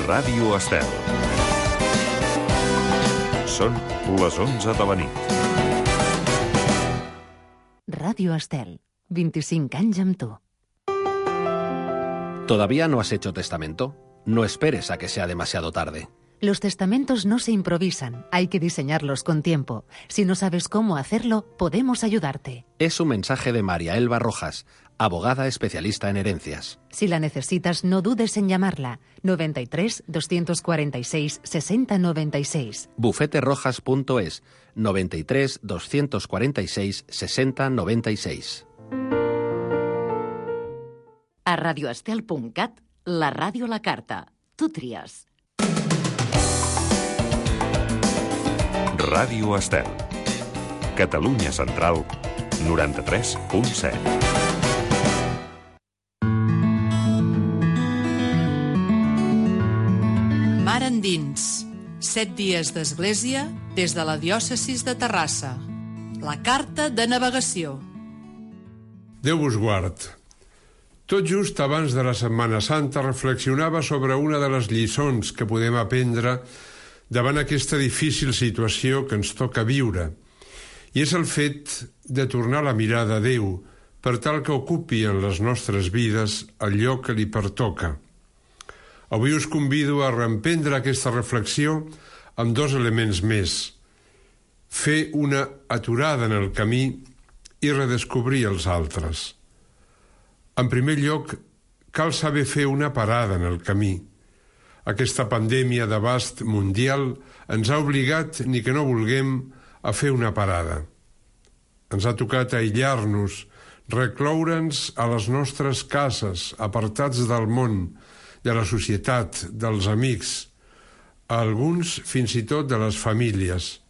Ràdio Estel. Són les 11 de la nit. Ràdio Estel, 25 anys amb tu. ¿Todavía no has hecho testamento? No esperes a que sea demasiado tarde. Los testamentos no se improvisan, hay que diseñarlos con tiempo. Si no sabes cómo hacerlo, podemos ayudarte. Es un mensaje de María Elba Rojas, abogada especialista en herencias. Si la necesitas, no dudes en llamarla. 93 246 6096. bufeterojas.es 93 246 6096. A radioestel.cat, la ràdio a la carta. Tu tries. Ràdio Estel. Catalunya Central, 93.7. Mar endins. 7 dies d'església des de la diòcesis de Terrassa. La carta de navegació. Déu vos guard. Tot just abans de la Setmana Santa reflexionava sobre una de les lliçons que podem aprendre davant aquesta difícil situació que ens toca viure, i és el fet de tornar la mirada a Déu per tal que ocupi en les nostres vides el lloc que li pertoca. Avui us convido a reemprendre aquesta reflexió amb 2 elements més: fer una aturada en el camí i redescobrir els altres. En primer lloc, cal saber fer una parada en el camí. Aquesta pandèmia d'abast mundial ens ha obligat, ni que no vulguem, a fer una parada. Ens ha tocat aïllar-nos, recloure'ns a les nostres cases, apartats del món, de la societat, dels amics, a alguns fins i tot de les famílies.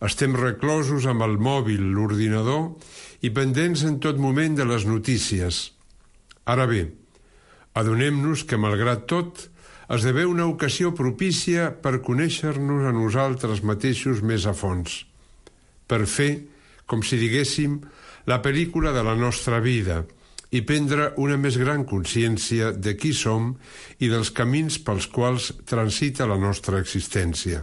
Estem reclosos amb el mòbil, l'ordinador i pendents en tot moment de les notícies. Ara bé, adonem-nos que, malgrat tot, esdevé una ocasió propícia per conèixer-nos a nosaltres mateixos més a fons, per fer, com si diguéssim, la pel·lícula de la nostra vida i prendre una més gran consciència de qui som i dels camins pels quals transita la nostra existència.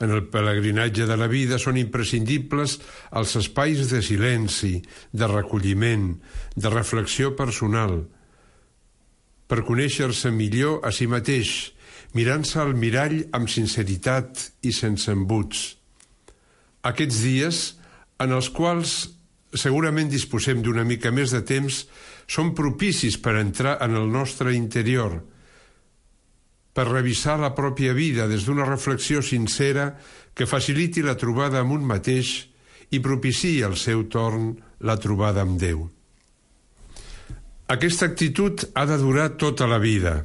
En el pelegrinatge de la vida són imprescindibles els espais de silenci, de recolliment, de reflexió personal, per conèixer-se millor a si mateix, mirant-se al mirall amb sinceritat i sense embuts. Aquests dies, en els quals segurament disposem d'una mica més de temps, són propicis per entrar en el nostre interior, per revisar la pròpia vida des d'una reflexió sincera que faciliti la trobada amb un mateix i propiciï al seu torn la trobada amb Déu. Aquesta actitud ha de durar tota la vida.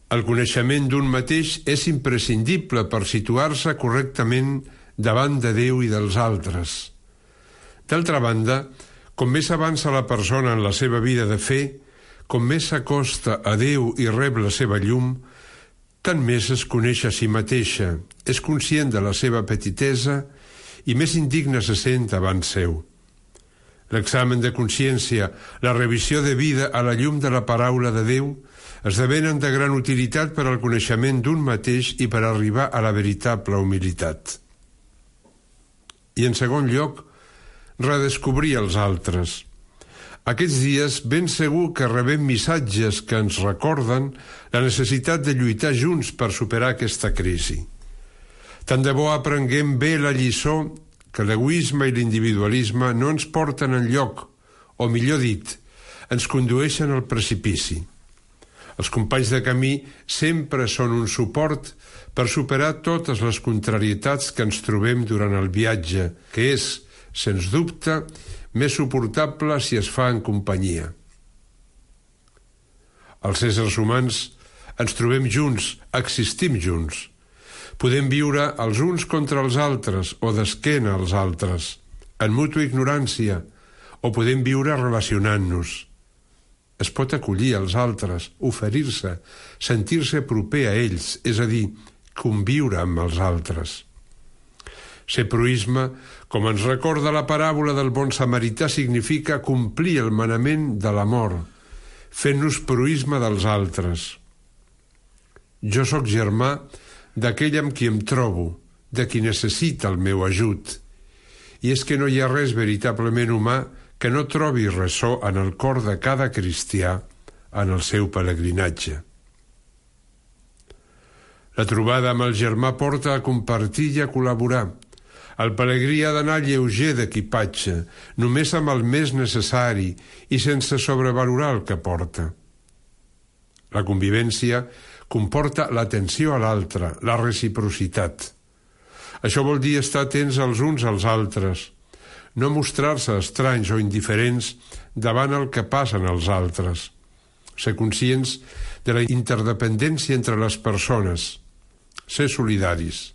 El coneixement d'un mateix és imprescindible per situar-se correctament davant de Déu i dels altres. D'altra banda, com més avança la persona en la seva vida de fe, com més s'acosta a Déu i rep la seva llum, tant més es coneix a si mateixa, és conscient de la seva petitesa i més indigne se sent davant seu. L'examen de consciència, la revisió de vida a la llum de la paraula de Déu esdevenen de gran utilitat per al coneixement d'un mateix i per arribar a la veritable humilitat. I en segon lloc, redescobrir els altres. Aquests dies ben segur que rebem missatges que ens recorden la necessitat de lluitar junts per superar aquesta crisi. Tant de bo aprenguem bé la lliçó que l'egoisme i l'individualisme no ens porten enlloc, o millor dit, ens condueixen al precipici. Els companys de camí sempre són un suport per superar totes les contrarietats que ens trobem durant el viatge, que és, sens dubte, més suportable si es fa en companyia. Els éssers humans ens trobem junts, existim junts. Podem viure els uns contra els altres o d'esquena als altres, en mútua ignorància, o podem viure relacionant-nos. Es pot acollir els altres, oferir-se, sentir-se proper a ells, és a dir, conviure amb els altres. Ser proisme, com ens recorda la paràbola del bon samarità, significa complir el manament de l'amor, fent-nos proïsme dels altres. Jo sóc germà d'aquell amb qui em trobo, de qui necessita el meu ajut. I és que no hi ha res veritablement humà que no trobi ressò en el cor de cada cristià en el seu pelegrinatge. La trobada amb el germà porta a compartir i a col·laborar. El pelegrí ha d'anar lleuger d'equipatge, només amb el més necessari i sense sobrevalorar el que porta. La convivència comporta l'atenció a l'altre, la reciprocitat. Això vol dir estar atents els uns als altres, no mostrar-se estranys o indiferents davant el que passen als altres, ser conscients de la interdependència entre les persones, ser solidaris.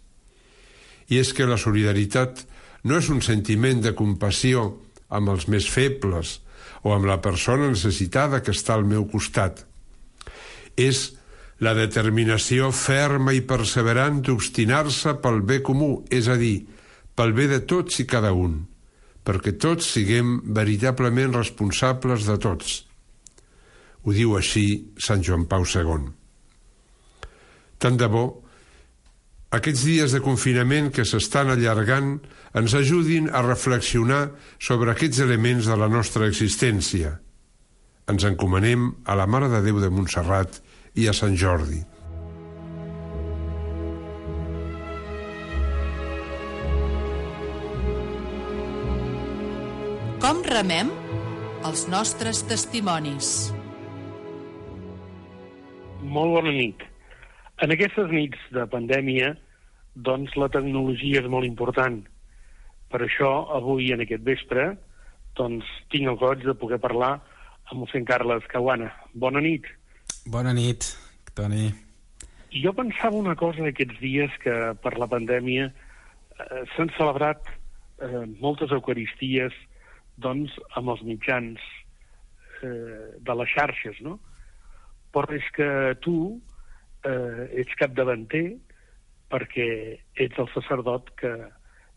I és que la solidaritat no és un sentiment de compassió amb els més febles o amb la persona necessitada que està al meu costat. És la determinació ferma i perseverant d'obstinar-se pel bé comú, és a dir, pel bé de tots i cada un, perquè tots siguem veritablement responsables de tots. Ho diu així Sant Joan Pau II. Tant de bo aquests dies de confinament que s'estan allargant ens ajudin a reflexionar sobre aquests elements de la nostra existència. Ens encomanem a la Mare de Déu de Montserrat i a Sant Jordi. Com remem els nostres testimonis? Molt bona nit. En aquestes nits de pandèmia, doncs la tecnologia és molt important. Per això, avui, en aquest vespre, doncs tinc el goig de poder parlar amb mossèn Carles Caguana. Bona nit. Bona nit, Toni. Jo pensava una cosa aquests dies, que per la pandèmia s'han celebrat moltes eucaristies doncs amb els mitjans de les xarxes, no? Però és que tu ets capdavanter perquè ets el sacerdot que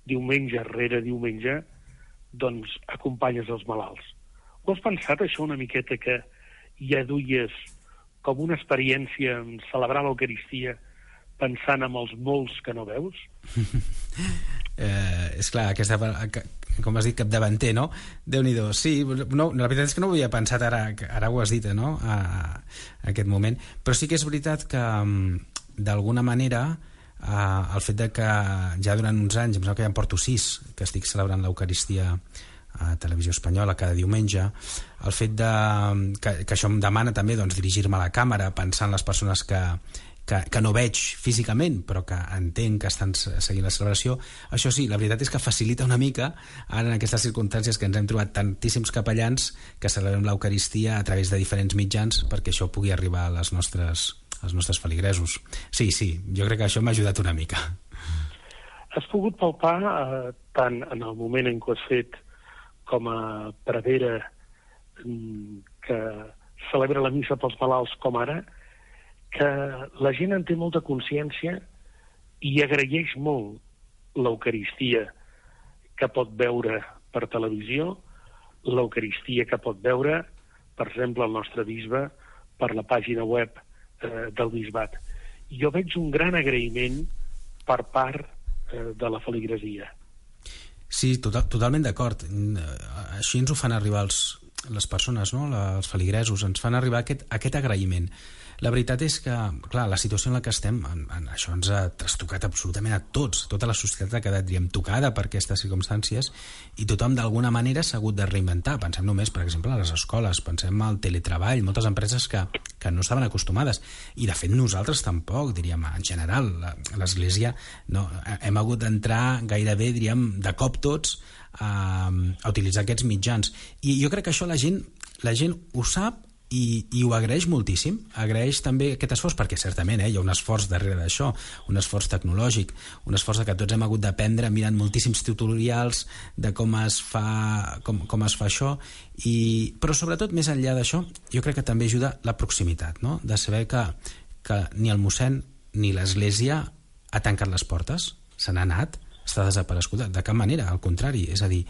diumenge rere diumenge doncs acompanyes els malalts. Ho has pensat, això, una miqueta, que ja duies com una experiència en celebrar l'Eucaristia pensant en els molts que no veus? És clar, com has dit, capdavanter, no? Déu-n'hi-do. Sí, no, la veritat és que no ho havia pensat ara ho has dit, no? A aquest moment. Però sí que és veritat que, d'alguna manera, el fet de que ja durant uns anys, em sembla que ja en porto 6, que estic celebrant l'Eucaristia a Televisió Espanyola cada diumenge, el fet que això em demana també doncs, dirigir-me a la càmera, pensar en les persones que no veig físicament però que entenc que estan seguint la celebració, això sí, la veritat és que facilita una mica ara en aquestes circumstàncies que ens hem trobat tantíssims capellans que celebrem l'Eucaristia a través de diferents mitjans perquè això pugui arribar als nostres feligresos. Sí, jo crec que això m'ha ajudat una mica. Has pogut palpar tant en el moment en què has fet com a prevere que celebra la missa pels malalts com ara, que la gent en té molta consciència i agraeix molt l'Eucaristia que pot veure per televisió, l'Eucaristia que pot veure, per exemple, el nostre bisbe per la pàgina web del bisbat. Jo veig un gran agraïment per part de la feligresia. Sí, totalment d'acord. Així ens ho fan arribar les persones, no? Els feligresos, ens fan arribar aquest agraïment. La veritat és que, clar, la situació en la que estem, això ens ha trastocat absolutament a tots. Tota la societat ha quedat, tocada per aquestes circumstàncies i tothom d'alguna manera s'ha hagut de reinventar. Pensem només, per exemple, a les escoles, pensem al teletreball, moltes empreses que no estaven acostumades. I, de fet, nosaltres tampoc, diríem, en general. L'Església no, hem hagut d'entrar gairebé, diríem, de cop tots a utilitzar aquests mitjans. I jo crec que això la gent ho sap i ho agraeix moltíssim. Agraeix també aquest esforç, perquè certament hi ha un esforç darrere d'això, un esforç tecnològic, un esforç que tots hem hagut d'aprendre mirant moltíssims tutorials de com es fa això, però sobretot més enllà d'això jo crec que també ajuda la proximitat, no? De saber que ni el mossèn ni l'Església ha tancat les portes, se n'ha anat, està desapareguda, de cap manera, al contrari, és a dir,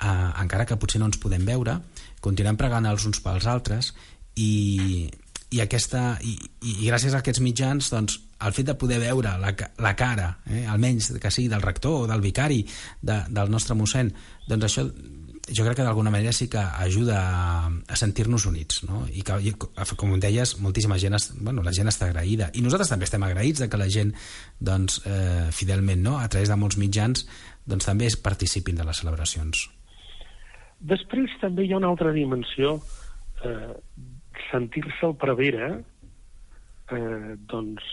encara que potser no ens podem veure, continuem pregant els uns pels altres i gràcies a aquests mitjans, doncs, el fet de poder veure la cara, almenys que sigui del rector o del vicari del nostre mossèn, doncs això jo crec que d'alguna manera sí que ajuda a sentir-nos units, no? I que, com deies, moltíssima gent, la gent està agraïda, i nosaltres també estem agraïts de que la gent, doncs, fidelment, no?, a través de molts mitjans, doncs també participin de les celebracions. Després també hi ha una altra dimensió, sentir-se al prevere, doncs,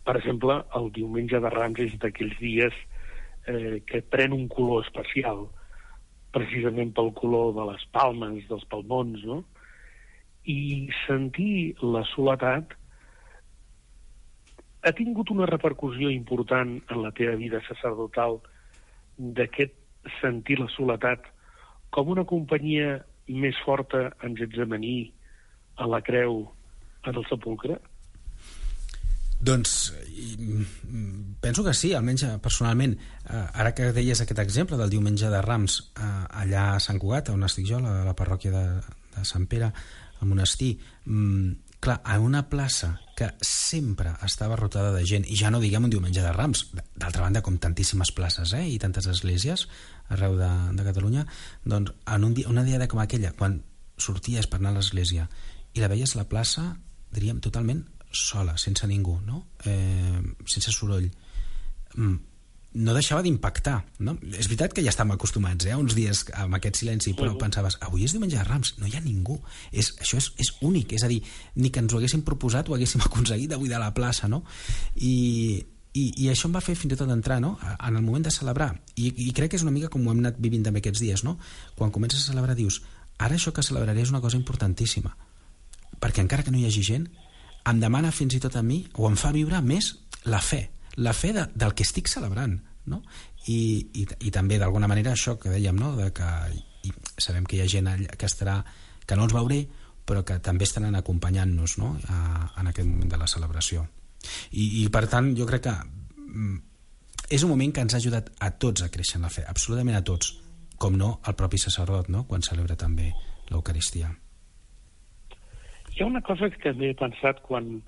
per exemple, el diumenge de Rams és d'aquells dies que pren un color especial, precisament pel color de les palmes, dels palmons, no? I sentir la soledat ha tingut una repercussió important en la teva vida sacerdotal, d'aquest sentir la soledat com una companyia més forta en Getsemaní, a la creu, en el sepulcre? Doncs penso que sí, almenys personalment. Ara que deies aquest exemple del diumenge de Rams allà a Sant Cugat, on estic jo, a la parròquia de Sant Pere, al monestir, clar, en una plaça que sempre estava rotada de gent, i ja no diguem un diumenge de Rams, d'altra banda, com tantíssimes places i tantes esglésies arreu de Catalunya, doncs en una diada com aquella, quan sorties per anar a l'església i la veies a la plaça, diríem, totalment sola, sense ningú, no? Sense soroll, no deixava d'impactar, no? És veritat que ja estàvem acostumats uns dies amb aquest silenci, però pensaves, avui és diumenge de Rams, no hi ha ningú, això és únic, és a dir, ni que ens ho haguéssim proposat o haguéssim aconseguit de buidar la plaça, no? I això em va fer fins i tot entrar, no?, en el moment de celebrar, i crec que és una mica com ho hem anat vivint també aquests dies, no? Quan comences a celebrar dius, ara això que celebraré és una cosa importantíssima, perquè encara que no hi hagi gent, em demana fins i tot a mi, o em fa viure més la fe del que estic celebrant, no? I també d'alguna manera això que dèiem, no?, de que sabem que hi ha gent que no els veuré, però que també estaran acompanyant-nos, no?, en aquest moment de la celebració. I per tant jo crec que és un moment que ens ha ajudat a tots a créixer en la fe, absolutament a tots, com no el propi sacerdot, no?, quan celebra també l'Eucaristia. Hi ha una cosa que també he pensat quan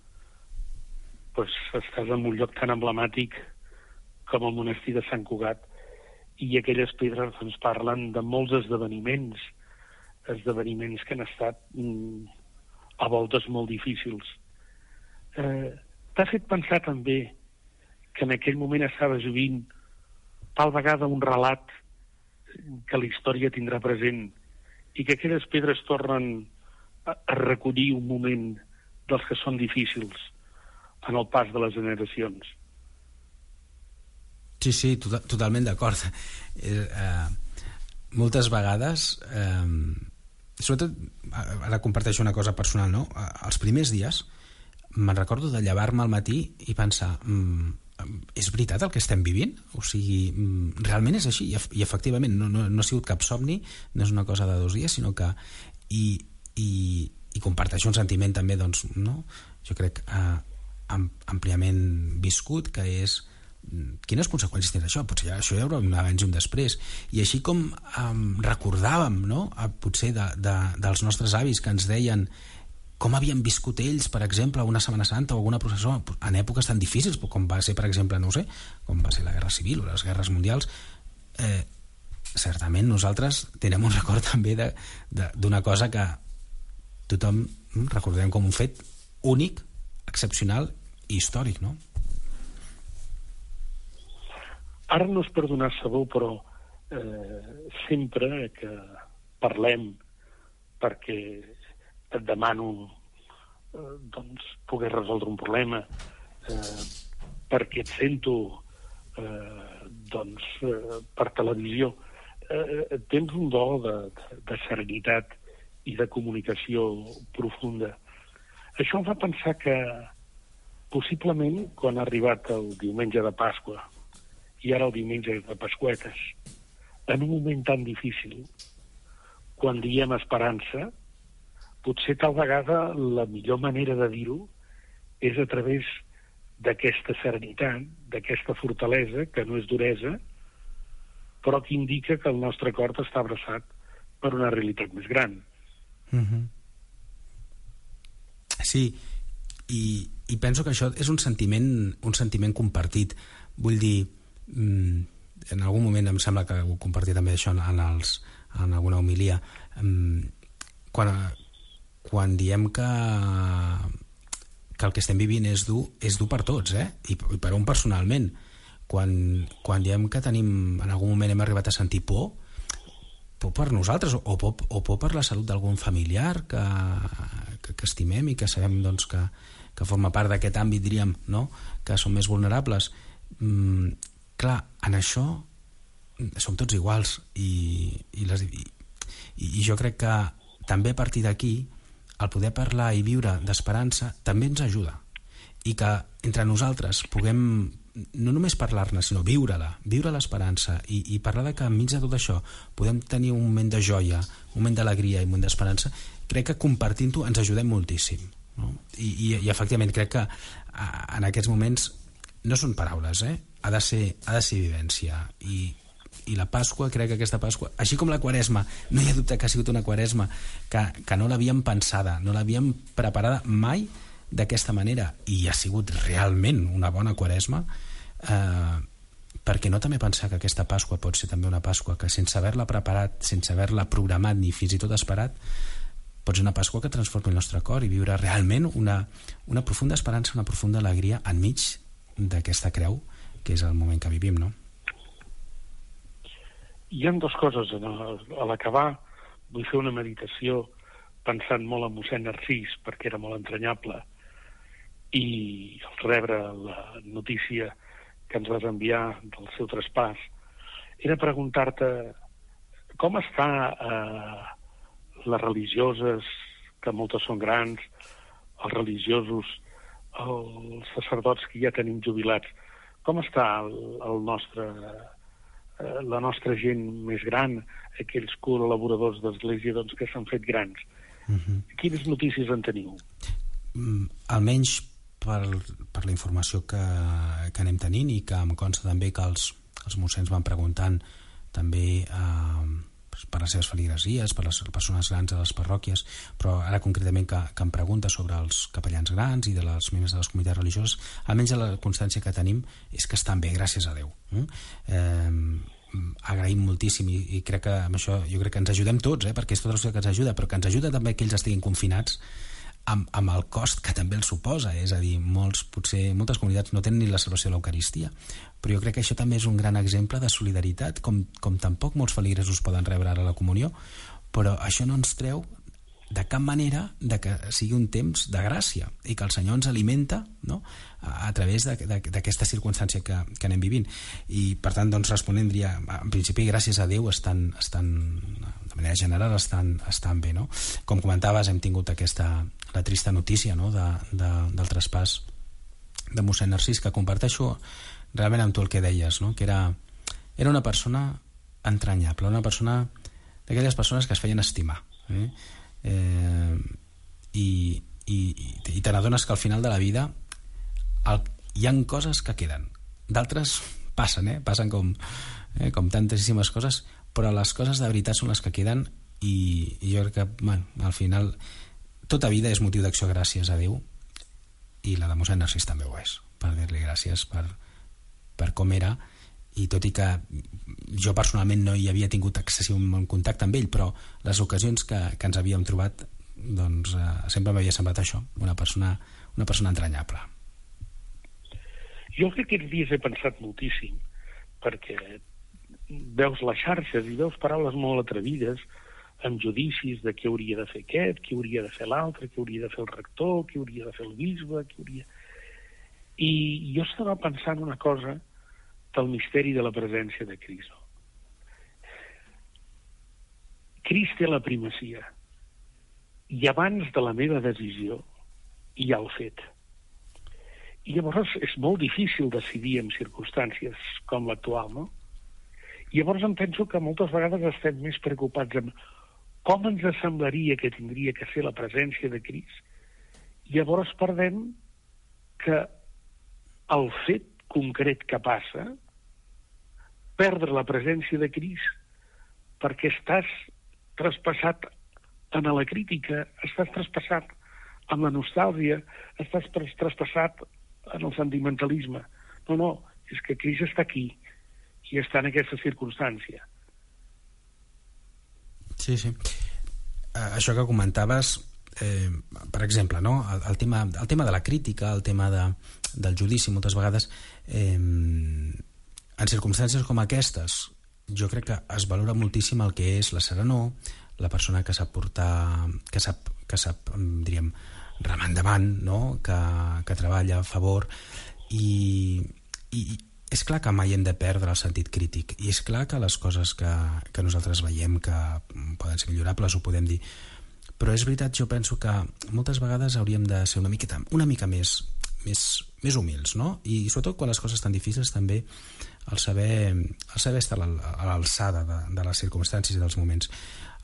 estàs en un lloc tan emblemàtic com el monestir de Sant Cugat, i aquelles pedres ens parlen de molts esdeveniments que han estat a voltes molt difícils. T'ha fet pensar també que en aquell moment estaves vivint tal vegada un relat que la història tindrà present, i que aquelles pedres tornen a recollir un moment dels que són difícils en el pas de les generacions. Sí, totalment d'acord. Moltes vegades, sobretot, ara comparteixo una cosa personal, no? Els primers dies me'n recordo de llevar-me al matí i pensar, és veritat el que estem vivint? O sigui, realment és així? I efectivament, no ha sigut cap somni, no és una cosa de 2 dies, sinó que... I comparteixo un sentiment també, doncs, no? Jo crec àmpliament viscut, que és quines conseqüències tindrà això? Potser això hi haurà un abans i un després. I així com recordàvem, no?, potser dels nostres avis que ens deien com havien viscut ells, per exemple, una Setmana Santa o alguna processó en èpoques tan difícils com va ser, per exemple, no ho sé, com va ser la Guerra Civil o les guerres mundials. Certament nosaltres tenim un record també d'una cosa que tothom recordem com un fet únic, excepcional i històric, no? Ara no és per donar sabó, però sempre que parlem, perquè et demano doncs poder resoldre un problema, perquè et sento doncs per televisió, tens un do de serenitat i de comunicació profunda. Això em fa pensar que possiblement quan ha arribat el diumenge de Pasqua i ara el diumenge de Pasqüetes, en un moment tan difícil, quan diem esperança, potser tal vegada la millor manera de dir-ho és a través d'aquesta serenitat, d'aquesta fortalesa, que no és duresa, però que indica que el nostre cor està abraçat per una realitat més gran. Sí, i penso que això és un sentiment compartit. Vull dir, en algun moment em sembla que ho compartia també això en alguna homilia, quan diem que el que estem vivint és dur per tots, i per un personalment. Quan diem que tenim, en algun moment hem arribat a sentir por per nosaltres o por per la salut d'algun familiar que estimem i que sabem doncs, que forma part d'aquest àmbit, diríem, no? Que són més vulnerables. Clar, en això som tots iguals i jo crec que també a partir d'aquí el poder parlar i viure d'esperança també ens ajuda, i que entre nosaltres puguem no només parlar-ne, sinó viure l'esperança i parlar de que enmig de tot això podem tenir un moment de joia, un moment d'alegria i un moment d'esperança. Crec que compartint-ho ens ajudem moltíssim, no? I efectivament crec que en aquests moments no són paraules, ha de ser vivència. I la Pasqua, crec que aquesta Pasqua, així com la Quaresma, no hi ha dubte que ha sigut una Quaresma que no l'havíem pensada, no l'havíem preparada mai d'aquesta manera, i ha sigut realment una bona Quaresma, perquè no també pensar que aquesta Pasqua pot ser també una Pasqua que sense haver-la preparat, sense haver-la programat ni fins i tot esperat, pot ser una Pasqua que transformi el nostre cor i viure realment una profunda esperança, una profunda alegria enmig d'aquesta creu que és el moment que vivim, no? Hi ha dues coses. A l'acabar vull fer una meditació pensant molt en mossèn Narcís, perquè era molt entranyable, i al rebre la notícia que ens vas enviar del seu traspàs era preguntar-te com està les religioses, que moltes són grans, els religiosos, els sacerdots que ja tenim jubilats, com està la nostra gent més gran, aquells col·laboradors d'Església doncs, que s'han fet grans. Quines notícies en teniu? Almenys per la informació que anem tenint, i que em consta també que els mossens van preguntant també per les seves feligresies, per les persones grans de les parròquies, però ara concretament que em pregunta sobre els capellans grans i de les membres de les comunitats religioses, almenys la constància que tenim és que estan bé, gràcies a Déu. Agraïm moltíssim, i crec que amb això jo crec que ens ajudem tots, perquè és tota la societat que ens ajuda, però que ens ajuda també que ells estiguin confinats amb el cost que també el suposa. És a dir, potser moltes comunitats no tenen ni la celebració de l'Eucaristia, però jo crec que això també és un gran exemple de solidaritat, com tampoc molts feligresos poden rebre ara la comunió, però això no ens treu de cap manera de que sigui un temps de gràcia i que el Senyor ens alimenta, no?, a través d'aquesta circumstància que anem vivint. I per tant, doncs, responent, diria, en principi gràcies a Déu estan de manera general estan bé, no? Com comentaves, hem tingut la trista notícia, no?, del traspàs de mossèn Narcís, que comparteixo realment amb tu el que deies, no?, que era una persona entranyable, una persona d'aquelles persones que es feien estimar, i te n'adones que al final de la vida hi ha coses que queden, d'altres passen com tantíssimes coses, però les coses de veritat són les que queden, i jo crec que al final tota vida és motiu d'acció gràcies a Déu, i la de mossèn Narcís també ho és, per dir-li gràcies per com era. I tot i que jo personalment no hi havia tingut excessiu contacte amb ell, però les ocasions que ens havíem trobat, doncs sempre m'havia semblat això, una persona entranyable. Jo aquests dies he pensat moltíssim, perquè veus les xarxes i veus paraules molt atrevides amb judicis de què hauria de fer aquest, què hauria de fer l'altre, què hauria de fer el rector, què hauria de fer el bisbe, I jo estava pensant una cosa del misteri de la presència de Crist. Crist té la primacia, i abans de la meva decisió hi ha el fet. I llavors és molt difícil decidir en circumstàncies com l'actual, no? I llavors em penso que moltes vegades estem més preocupats amb com ens semblaria que tindria que ser la presència de Crist. I llavors perdem que el fet concret que passa, perdre la presència de Crist, perquè estàs traspassat en la crítica, estàs traspassat amb la nostàlgia, estàs traspassat en el sentimentalisme. No, és que Crist està aquí i està en aquesta circumstància. Sí. Això que comentaves, per exemple, no? el tema de la crítica, el tema del judici, moltes vegades, en circumstàncies com aquestes, jo crec que es valora moltíssim el que és la serenor, la persona que sap portar, que sap diríem, remar endavant, no? que treballa a favor, i és clar que mai hem de perdre el sentit crític, i és clar que les coses que nosaltres veiem que poden ser millorables ho podem dir, però és veritat, jo penso que moltes vegades hauríem de ser una mica més humils, no? I sobretot quan les coses estan difícils també el saber estar a l'alçada de les circumstàncies i dels moments.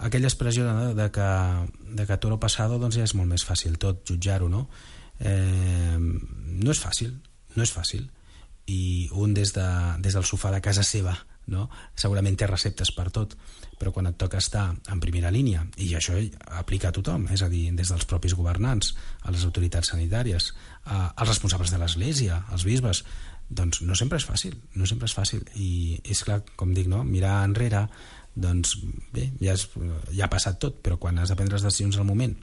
Aquella expressió de que toro pasado, doncs ja és molt més fàcil tot jutjar-ho, no? No és fàcil, i un des del sofà de casa seva, no? Segurament té receptes per tot, però quan et toca estar en primera línia, i això aplica a tothom, és a dir, des dels propis governants, a les autoritats sanitàries, als responsables de l'Església, als bisbes, doncs no sempre és fàcil, i és clar, com dic, no? Mirar enrere, doncs bé, ja ha passat tot, però quan has de prendre les decisions al moment,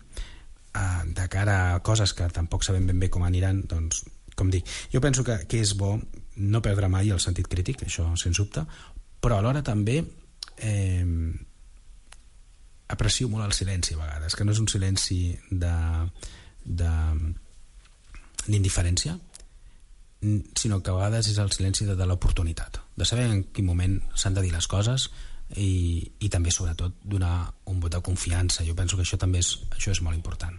de cara a coses que tampoc sabem ben bé com aniran, doncs, com dic, jo penso que és bo no perdre mai el sentit crític, això sens dubte, però alhora també aprecio molt el silenci a vegades, que no és un silenci d'indiferència, sinó que a vegades és el silenci de l'oportunitat, de saber en quin moment s'han de dir les coses, i també sobretot donar un vot de confiança. Jo penso que això és molt important.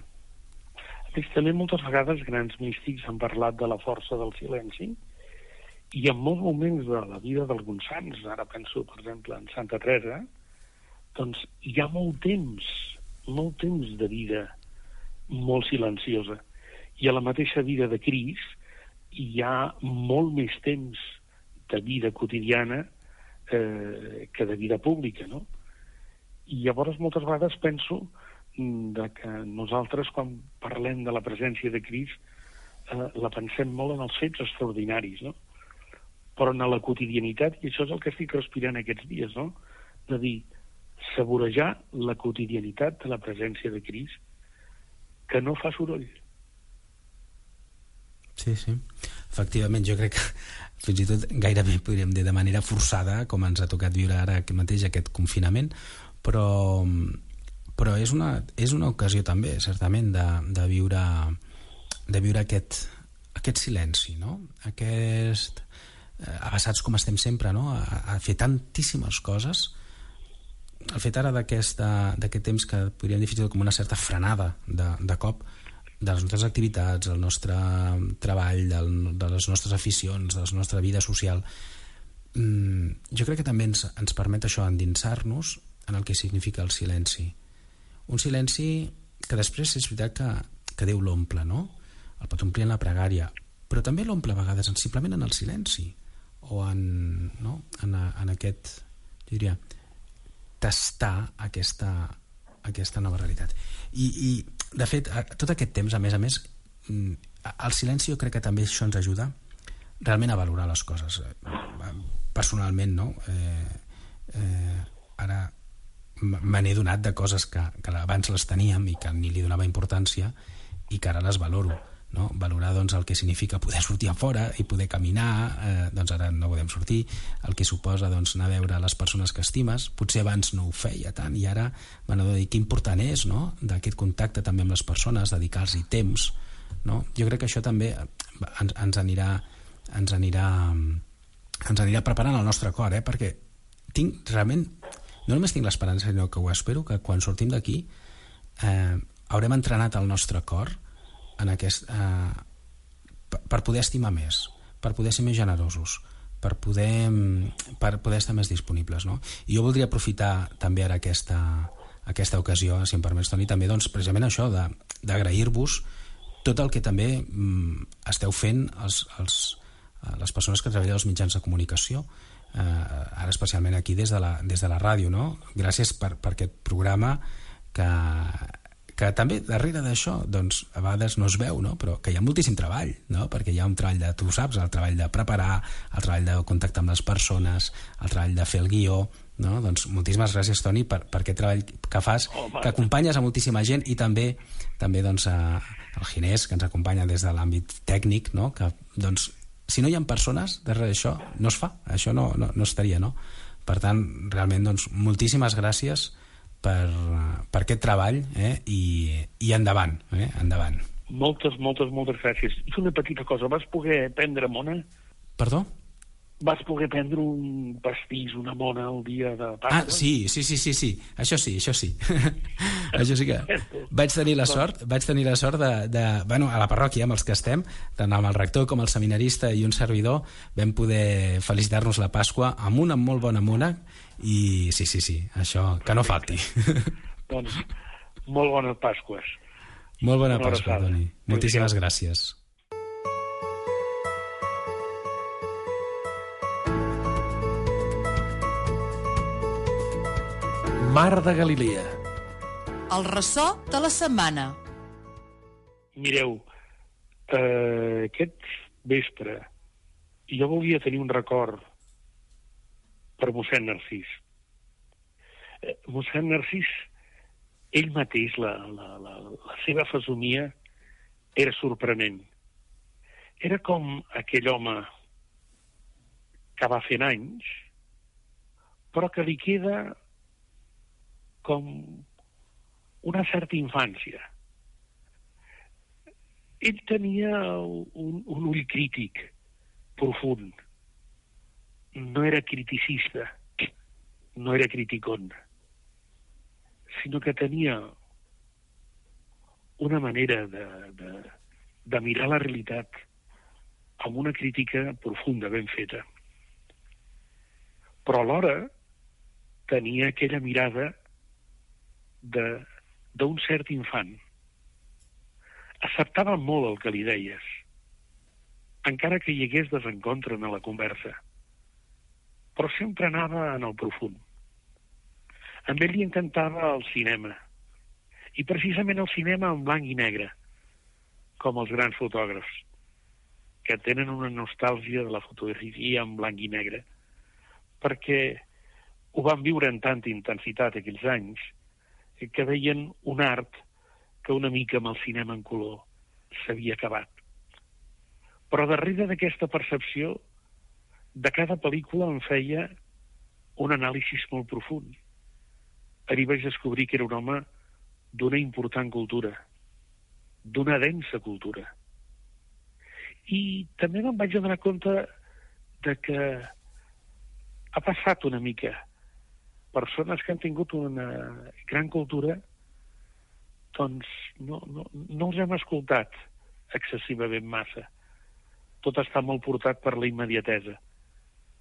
També moltes vegades grans místics han parlat de la força del silenci, i en molts moments de la vida d'alguns sants, ara penso per exemple en Santa Teresa, doncs hi ha molt temps de vida molt silenciosa, i a la mateixa vida de Crist hi ha molt més temps de vida quotidiana que de vida pública, no? I llavors moltes vegades penso que nosaltres quan parlem de la presència de Crist la pensem molt en els fets extraordinaris, no? Però en la quotidianitat, i això és el que estic respirant aquests dies, no? De dir, saborejar la quotidianitat de la presència de Crist, que no fa soroll. Sí. Efectivament, jo crec que fins i tot gairebé podríem dir de manera forçada, com ens ha tocat viure ara mateix aquest confinament, però és una ocasió també, certament, de viure aquest silenci, no? Abassats com estem sempre, no? A fer tantíssimes coses. El fet ara d'aquest temps que podríem dir fins i tot com una certa frenada de cop de les nostres activitats, del nostre treball, de les nostres aficions, de la nostra vida social, jo crec que també ens permet això, endinsar-nos en el que significa el silenci. Un silenci que després és veritat que Déu l'omple, no? El pot omplir en la pregària, però també l'omple a vegades simplement en el silenci, o en aquest, jo diria, tastar aquesta nova realitat. I de fet, tot aquest temps, a més, el silenci jo crec que també això ens ajuda realment a valorar les coses. Personalment, no? Ara me n'he donat de coses que abans les teníem i que ni li donava importància i que ara les valoro, no? Valorar doncs, el que significa poder sortir a fora i poder caminar, doncs ara no podem sortir, el que suposa doncs, anar a veure les persones que estimes. Potser abans no ho feia tant i ara m'han de dir que important és, no? D'aquest contacte també amb les persones, dedicar-los temps, no? Jo crec que això també ens anirà preparant el nostre cor, perquè tinc realment, no només tinc l'esperança, sinó que ho espero, que quan sortim d'aquí haurem entrenat el nostre cor en per poder estimar més, per poder ser més generosos, per poder estar més disponibles, no? I jo voldria aprofitar també ara aquesta ocasió, si em permets, Toni, també doncs, precisament això d'agrair-vos tot el que també esteu fent les persones que treballen als mitjans de comunicació, ara especialment aquí des de la ràdio, no? Gràcies per aquest programa que també darrere d'això, doncs, a vegades no es veu, no? Però que hi ha moltíssim treball, no? Perquè hi ha un treball tu saps, el treball de preparar, el treball de contactar amb les persones, el treball de fer el guió, no? Doncs moltíssimes gràcies, Toni, per aquest treball que fas, que acompanyes a moltíssima gent, i també doncs, el Ginés, que ens acompanya des de l'àmbit tècnic, no? Que, doncs, si no hi ha persones darrere d'això, no es fa, això no estaria, no? Per tant, realment, doncs, moltíssimes gràcies per aquest treball, i endavant, endavant. Moltes gràcies. I una petita cosa, vas poder prendre mona? Perdó? Vas poder prendre un pastís, una mona el dia de Pasqua? Sí, això sí. Això sí que vaig tenir la sort bueno, a la parròquia amb els que estem, tant amb el rector com el seminarista i un servidor, vam poder felicitar-nos la Pasqua amb una molt bona mona, i sí, això, que no falti. Doncs molt bones Pasques. Molt bona Pasqua, Toni. Moltíssimes gràcies. Mar de Galilea. El ressò de la setmana. Mireu, aquest vespre jo volia tenir un record per mossèn Narcís. Mossèn Narcís, ell mateix, la seva fesomia era sorprenent. Era com aquell home que va fent anys, però que li queda com una certa infància. Ell tenia un ull crític profund. No era criticista, no era criticón, sinó que tenia una manera de mirar la realitat amb una crítica profunda, ben feta. Però alhora tenia aquella mirada d'un cert infant. Acceptava molt el que li deies, encara que hi hagués desencontre en la conversa, però sempre anava en el profund. A ell li encantava el cinema, i precisament el cinema en blanc i negre, com els grans fotògrafs, que tenen una nostàlgia de la fotografia en blanc i negre, perquè ho van viure en tanta intensitat aquells anys, que veien un art que una mica amb el cinema en color s'havia acabat. Però darrere d'aquesta percepció, de cada pel·lícula en feia un anàlisi molt profund. Ahir vaig descobrir que era un home d'una important cultura, d'una densa cultura. I també me'n vaig donar compte de que ha passat una mica. Persones que han tingut una gran cultura, doncs no els hem escoltat excessivament massa. Tot està molt portat per la immediatesa.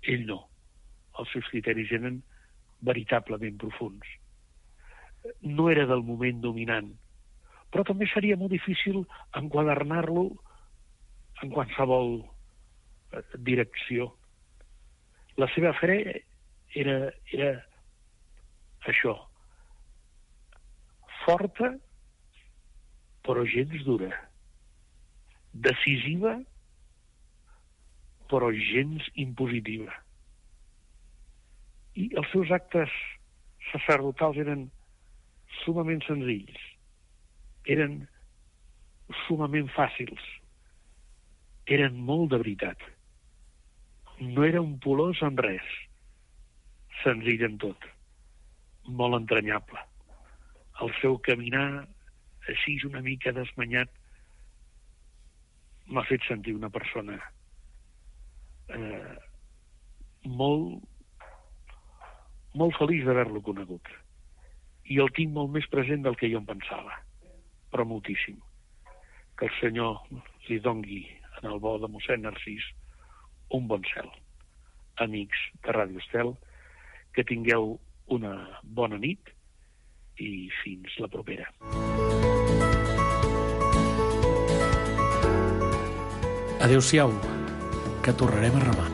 Ell no. Els seus criteris eren veritablement profunds. No era del moment dominant, però també seria molt difícil enquadernar-lo en qualsevol direcció. La seva fe era això, forta, però gens dura, decisiva, però gens impositiva. I els seus actes sacerdotals eren sumament senzills, eren sumament fàcils, eren molt de veritat. No era un polós en res, senzill en tot, molt entranyable. El seu caminar així una mica desmanyat m'ha fet sentir una persona molt feliç d'haver-lo conegut, i el tinc molt més present del que jo em pensava, però moltíssim. Que el Senyor li dongui en el bo de mossèn Narcís un bon cel. Amics de Ràdio Estel, que tingueu una bona nit i fins la propera. Adéu-siau, que tornarem a remar.